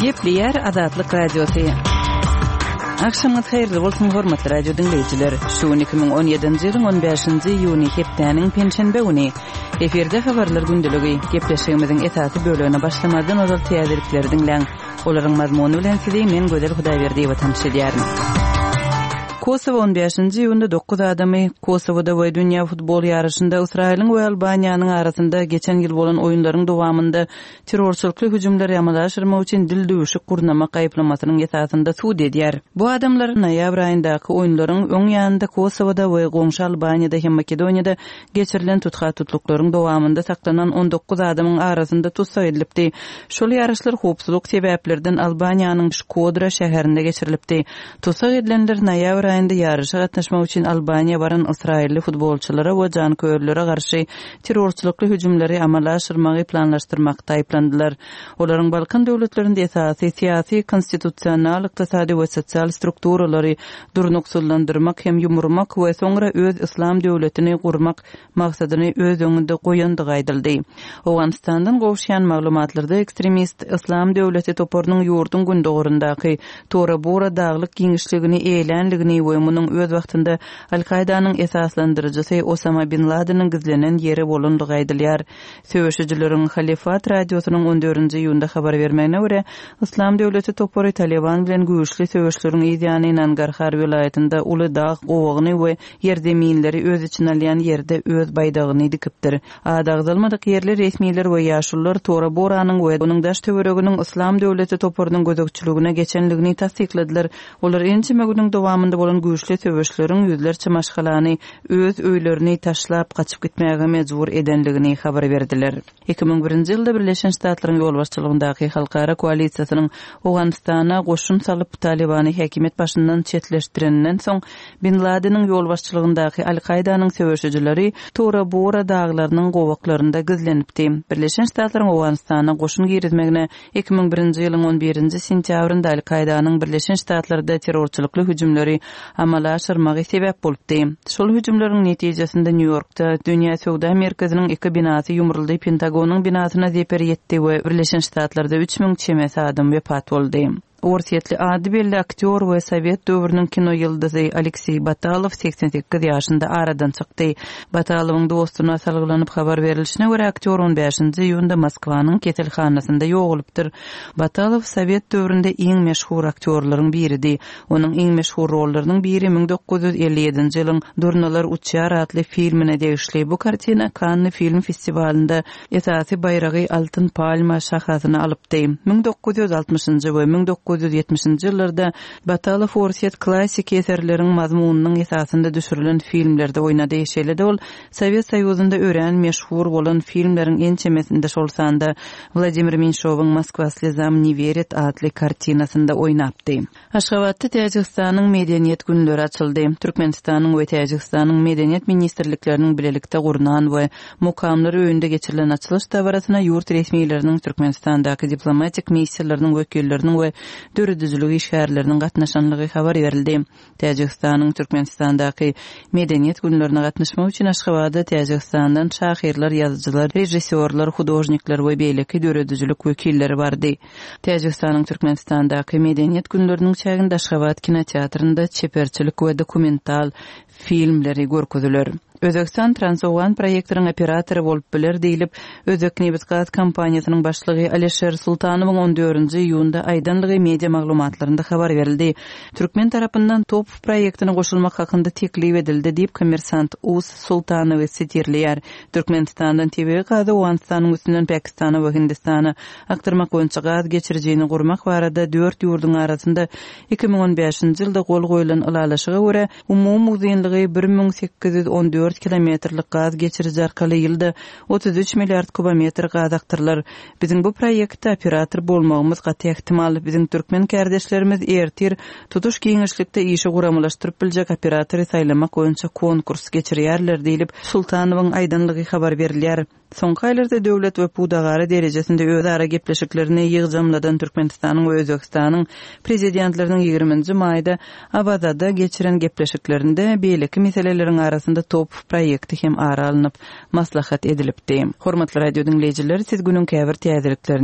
Gepleýär Azatlyk Radiosy. Agşamyňyz haýyrly bolsun, hormatly radio diňleýjiler. Şu gün 2017-nji ýylyň 15-nji iýuny hepdäniň penşenbe güni. Efirde habarlar gündeligi. Gepleşigimiziň esasy bölegine başlamazdan ozal täzelikleri diňläň. Olaryň mazmuny bilen sizi men Gözel Hudaýberdiýewa tanyş edýärin. Kosowo on bäşinji iýunda dokuz adamy Kosowada we dünýä futbol ýaryşynda Ysraýylyň we Albaniýanyň arasynda geçen ýyl bolan oýunlaryň dowamynda terrorçylykly hüjümleri amala aşyrmak üçin dildüwşük gurnamak aýyplamasynyň esasynda sud edýär. Bu adamlar noýabr aýyndaky oýunlaryň öň ýanynda Kosowada we goňşy Albaniýada hem Makedoniýada Geçirilen tutha-tutluklaryň dowamynda saklanan 19 adamyň arasynda tussag edilipdi. Şol ýaryşlar howpsuzlyk sebäplerden Albaniýanyň Şkodra şäherinde geçirilipdi. Tussag edilenler noýabr aýynda ýaryşa gatnaşmak üçin Albaniýa baran ysraýylly futbolçylara we janköýerlere garşy terrorçylykly hüjümleri amala aşyrmagy planlaşdyrmakda aýyplandylar. Olaryň Balkan döwletlerinde esasy syýasy, konstitusional, ykdysady we sosial strukturalary durnuksyzlandyrmak hem ýumurmak we soňra öz yslam döwletini gurmak maksadyny öz öňünde goýandygy aýdyldy. Owganystandan gowuşýan maglumatlarda ekstremist Yslam döwleti toparynyň ýurduň gündogaryndaky Tora-Bora daglyk giňişligini eýelänligini we munuň öz wagtynda Al-Kaýdanyň esaslandyryjysy Osama bin Ladeniň gizlenen ýeri bolandygy aýdylýar. Söweşijileriň Halyfat radiosynyň on dördünji iýunda habar bermegine görä, Yslam döwleti topary Talyban bilen güýçli söweşleriň yz ýany Nangarhar welaýatynda uly dag gowagyny we ýerzeminleri öz içine alýan ýerde öz baýdagyny dikipdir. Ady agzalmadyk ýerli resmiler we ýaşulular Tora-Boranyň we onuň daş-töwereginiň Yslam döwleti toparynyň gözegçiligine geçenligini tassykladylar. Olar ençeme günüň dowamynda bolan güýçli söweşleriň ýüzlerçe maşgalany öz öýlerini taşlap gaçyp gitmäge mejbur edenligini habar berdiler. 2001-nji ýylda Birleşen Ştatlaryň ýolbaşçylygyndaky halkara koalisiýasynyň Owganystana goşun salyp, Talybany häkimiýet başyndan çetleşdireninden soň, Bin Ladeniň ýolbaşçylygyndaky Al-Kaýdanyň söweşijileri Tora-Bora daglarynyň gowaklarynda gizlenipdi. Birleşen Ştatlaryň Owganystana goşun girizmegine 2001-nji ýylyň on birinji sentýabrynda Al-Kaýdanyň Birleşen Ştatlarda terrorçylykly hüjümleri amala aşyrmagy sebäp bolupdy. Şol hüjümleriň netijesinde Nýu-Ýorkda Dünýä söwda merkeziniň iki binasy ýumruldy, Pentagonyň binasyna zeper ýetdi we Birleşen Ştatlarda 3000 çemesi adam wepat boldy. Orsýetli ady belli aktýor we sowet döwrüniň kino ýyldyzy Alekseý Batalow 88 ýaşynda aradan çykdy. Batalowyň dostuna salgylanyp habar berlişine görä, aktýor on bäşinji iýunda Moskwanyň keselhanasynda ýogalypdyr. Batalow sowet döwründe iň meşhur aktýorlaryň biridi. Onuň iň meşhur rollarynyň biri 1957-nji ýylyň Durnalar uçýar atly filmine degişli. Bu kartina Kanny film festiwalynda esasy baýragy Altyn palma şahasyny alypdy. 1960-njy we 1970-nji ýyllarda Batalow orsýet klassiki eserleriň mazmunynyň esasynda düşürilen filmlerde oýnady. Şeýle-de ol Sowet Soýuzynda örän meşhur bolan filmleriň ençemesinde, şol sanda Wladimir Menşowyň Moskwa slezam ne werit atly kartinasynda oýnapdy. Aşgabatda Täjigistanyň Medeniýet günleri açyldy. Türkmenistanyň we Täjigistanyň Medeniýet ministrlikleriniň bilelikde gurnan we Mukamlar öýünde geçirilen açylyş dabarasyna ýurt resmileriniň, Türkmenistandaky diplomatik missiýalarynyň wekilleriniň we döredijilik işgärleriniň gatnaşanlygy habar berildi. Täjigistanyň Türkmenistandaky Medeniýet günlerine gatnaşmak üçin Aşgabada Täjigistandan şahyrlar, ýazyjylar, režissýorlar, hudožnikler we beýleki döredijilik wekilleri bardy. Täjigistanyň Türkmenistandaky Medeniýet günleriniň çäginde Aşgabat kinoteatrynda çeperçilik we dokumental filmleri görkeziler. Özbegistan Transowgan proýektiniň operatory bolup biler diýlip, Özbeknebitgaz kompaniýasynyň başlygy Alişer Sultanowyň on dördünji iýunda aýdanlygy media maglumatlarynda habar berildi. Türkmen tarapyndan TOPH proýektine goşulmak hakynda teklip edildi diýip, Kommersant. Uz Sultanowy sitirleýär. Türkmenistandan tebigy gazy Owganystanyň üstünden Pakistana we Hindistana akdyrmak boýunça gaz geçirijini gurmak barada dört ýurduň arasynda 2015-nji ýylda gol goýlan ylalaşyga görä, Umumy uzynlygy 1814 kilometrlik gaz geçiriji arkaly ýylda 33 milliard kubometr gaz akdyrylar. Biziň bu proýektde operator bolmagymyz gaty ähtimal. Biziň türkmen kärdeşlerimiz ertir tutuş giňişlikde işi guramalaşdyryp biljek operatory saýlamak boýunça konkurs geçirýärler diýlip, Sultanowyň aýdanlygy habar berilýär. Soňky aýlarda döwlet we pudagara derejesinde özara gepleşiklerini ýygjamladan Türkmenistanyň we Özbegistanyň Prezidentleriniň ýigriminji maýda Awazada geçiren gepleşiklerinde beýleki meseleleriň arasynda TOPH proýekti hem ara alnyp maslahat edilipdi. Hormatly radio diňleýjiler, siz günüň käbir täzeliklerini.